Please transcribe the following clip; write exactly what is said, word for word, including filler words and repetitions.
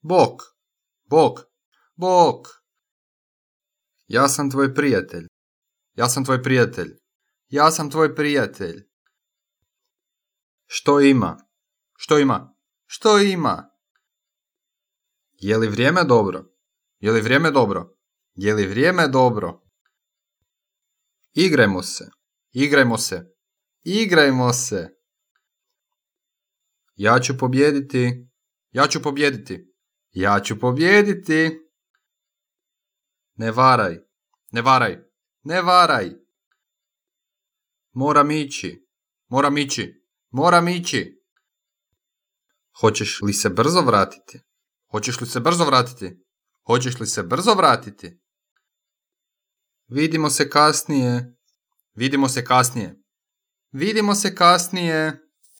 Bok, bok, bok. Ja sam tvoj prijatelj. Ja sam tvoj prijatelj. Ja sam tvoj prijatelj. Što ima? Što ima? Što ima? Je li vrijeme dobro? Je li vrijeme dobro? Je li vrijeme dobro? Igrajmo se. Igrajmo se. Igrajmo se. Ja ću pobijediti. Ja ću pobijediti. Ja ću pobijediti. Ne varaj. Ne varaj. Ne varaj. Moram ići. Moram ići. Moram ići. Hoćeš li se brzo vratiti? Hoćeš li se brzo vratiti? Hoćeš li se brzo vratiti? Vidimo se kasnije. Vidimo se kasnije. Vidimo se kasnije.